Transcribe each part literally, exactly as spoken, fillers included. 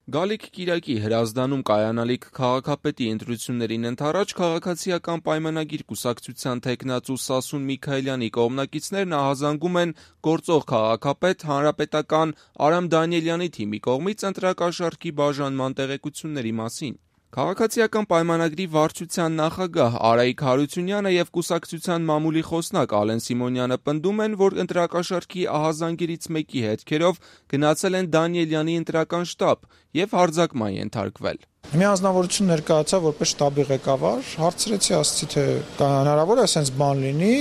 Գալիք կիրակի Հրազդանում կայանալիք քաղաքապետի ընտրություններին ընդառաջ քաղաքացիական պայմանագիր կուսակցության թեկնածու Սասուն Միքայելյանի կողմնակիցներն ահազանգում են գործող քաղաքապետ հանրապետական Արամ Դանիելյանի թիմի կողմից ընտրակաշառքի բաժանման տեղեկությունների մասին։ Քաղաքացիական պայմանագրի վարչության նախագահ Արայիկ Հարությունյանը և կուսակցության մամուլի խոսնակ Ալեն Սիմոնյանը պնդում են, որ ընտրակաշառքի ահազանգերից մեկի հետքերով գնացել են Դանիելյանի ընտրական շտաբ և հարձակման ենթարկվել։ Մի անձնավորություն ներկայացավ որպես շտաբի ղեկավար, հարցրեցի, ասացի, թե հնարավոր է այսպես բան լինի,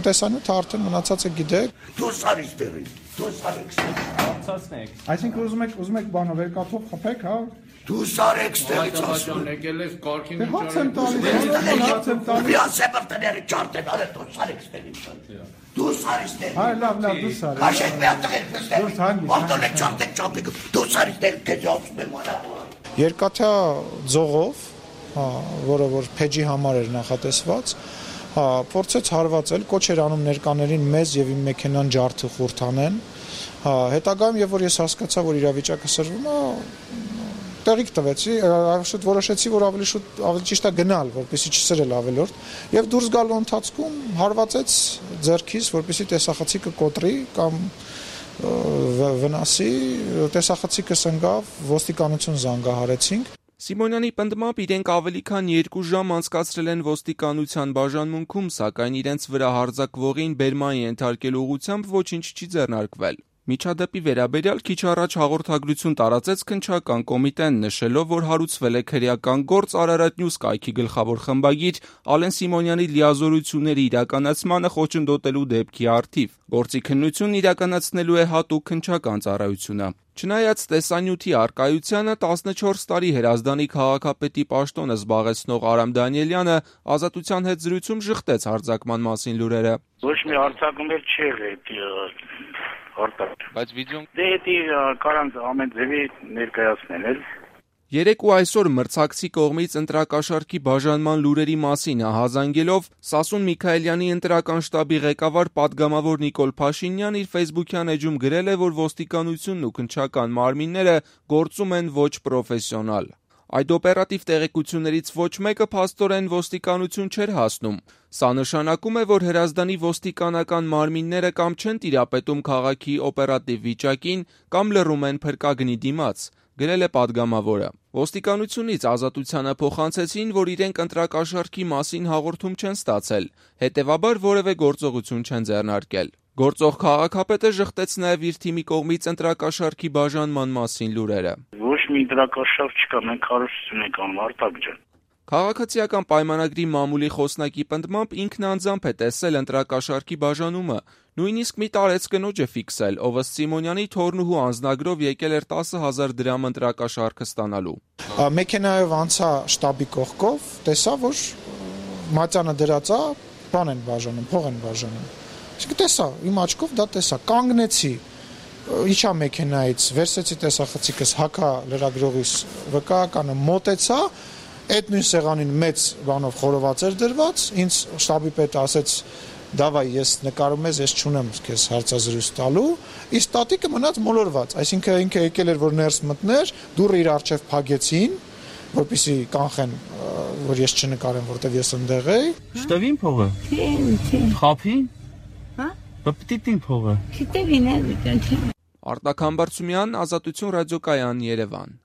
տեսանյութը արդեն մնացածը գիտեք։ Դուրս արի ստեղից, դուրս արեք ստեղից։ Այսինքն ուզում եք, ուզում եք բանը վերկաթով խփեք, հա։ Դուրս արեք ստեղից ասում։ Եկել ես կարգին Հաց եմ տալիս, հաց եմ տալիս։ Վիասեպը տները ճարտեն, արեք դուրս արեք ստեղից։ Դուրս արի ստեղից։ Այ լավ, լավ, դուրս արի։ Քաշեք մի հատ տղեր ստեղից։ Արտոն եք ճարտեք ճապիկ, դուրս արի ստեղից, քեզ ասում եմ արա։ Երկաթյա ձողով, հա, որը որ փեջի համար էր նախատեսված, հա, փորձեց հարվածել, կոչ էր անում ներկաներին մեզ եւ իմ մեքենան ջարդը խորթանեն, հա, հետագայում եւ որ ես հասկացա, որ իրավիճակը սրվում է, տեղիք տվեցի, շուտ որոշեցի, որ ավելի շուտ ավելի ճիշտ է գնալ, որպեսզի չսրել ավելորդ, եւ դուրս գալու ընթացքում հարվածեց ձեռքիս, որպեսզի տեսախցիկը կոտրի կամ վնասի, տեսախցիկս ընկավ, ոստիկանություն զանգահարեցինք։ Սիմոնյանի պնդմամբ իրենք ավելի քան երկու ժամ անցկացրել են ոստիկանության բաժանմունքում, սակայն իրենց վրա հարձակվողին բերման ենթարկելու ուղղությամբ ոչինչ չի ձեռնարկվել։ Միջադեպի վերաբերյալ քիչ առաջ հաղորդագրություն տարածեց քննչական կոմիտեն, նշելով, որ հարուցվել է քրեական գործ Արարատ Նյուզ կայքի գլխավոր խմբագիր Ալեն Սիմոնյանի լիազորությունների իրականացմանը խոչընդոտելու դեպքի առթիվ։ Գործի քննությունն իրականացնելու է հատուկ քննչական ծառայությունը։ Չնայած տեսանյութի առկայությանը տասնչորս տարի Հրազդանի քաղաքապետի պաշտոնը զբաղեցնող Արամ Դանիելյանը Ազատության հետ զրույցում ժխտեց հարձակման մասին լուրերը։ Ոչ մի հարձակում էլ չի եղել, արտակ։ Բայց վիդեոն դե դա կարան ամեն ձևի ներկայացնել էլ։ Երեկ ու այսօր մրցակցի կողմից ընտրակաշառքի բաժանման լուրերի մասին ահազանգելով Սասուն Միքայելյանի ընտրական շտաբի ղեկավար պատգամավոր Նիկոլ Փաշինյանն իր ֆեյսբուքյան էջում գրել է, որ ոստիկանությունն ու քննչական մարմինները գործում են ոչ պրոֆեսիոնալ։ Այդ օպերատիվ տեղեկություններից ոչ մեկը փաստորեն ոստիկանություն չէր հասնում։ Սա նշանակում է, որ Հրազդանի ոստիկանական մարմինները կամ չեն տիրապետում քաղաքի օպերատիվ վիճակին, կամ լռում են փրկագնի դիմաց, գրել է պատգամավորը։ Ոստիկանությունից Ազատությանը փոխանցեցին, որ իրենք ընտրակաշառքի մասին հաղորդում չեն ստացել, հետևաբար որևէ գործողություն չեն ձեռնարկել։ Գործող քաղաքապետը ժխտեց նաև իր թիմի կողմից ընտրակաշառքի բաժանման մասին լուրերը։ Ոչ մի ընտրակաշառք չկա, մենք հարստություն ենք անում, արտակ ջան։ Քաղաքացիական պայմանագրի մամուլի խոսնակի պնդմամբ ինքն անձամբ է տեսել ընտրակաշառքի բաժանումը, նույնիսկ մի տարեց կնոջ է ֆիքսել, ով ըստ Սիմոնյանի թորնուհու անձնագրով եկել էր տասը հազար դրամ ընտրակաշառքը ստանալու։ Մեքենայով անցա շտաբի կողքով, տեսա, որ մատյանը դրած է, բան են բաժանում, փող են բաժանում։ Իսկ տեսա, իմ աչքով դա տեսա, կանգնեցի, իջա մեքենայից, վերցեցի տեսախցիկս, հակա լրագրողիս վկայականը մոտեցա, այդ նույն սեղանին մեծ բանով խորոված էր դրված, ինձ շտաբի պետը ասեց, դավայ ես նկարում ես, ես չունեմ քեզ հարցազրույց տալու, իսկ տատիկը մնաց մոլորված, այսինքն ինքը եկել էր, որ ներս մտներ, դուռը իր առջև փակեցին, որպեսզի կանխեն, որ ես չնկարեմ, որտեվ ես ընդեղ էի։ Շտավին փողը։ Խափին։ Հա։ Բպտիտին փողը։ Շտավին է։ Արտակ Համբարձումյան, Ազատություն ռադիոկայան, Երևան։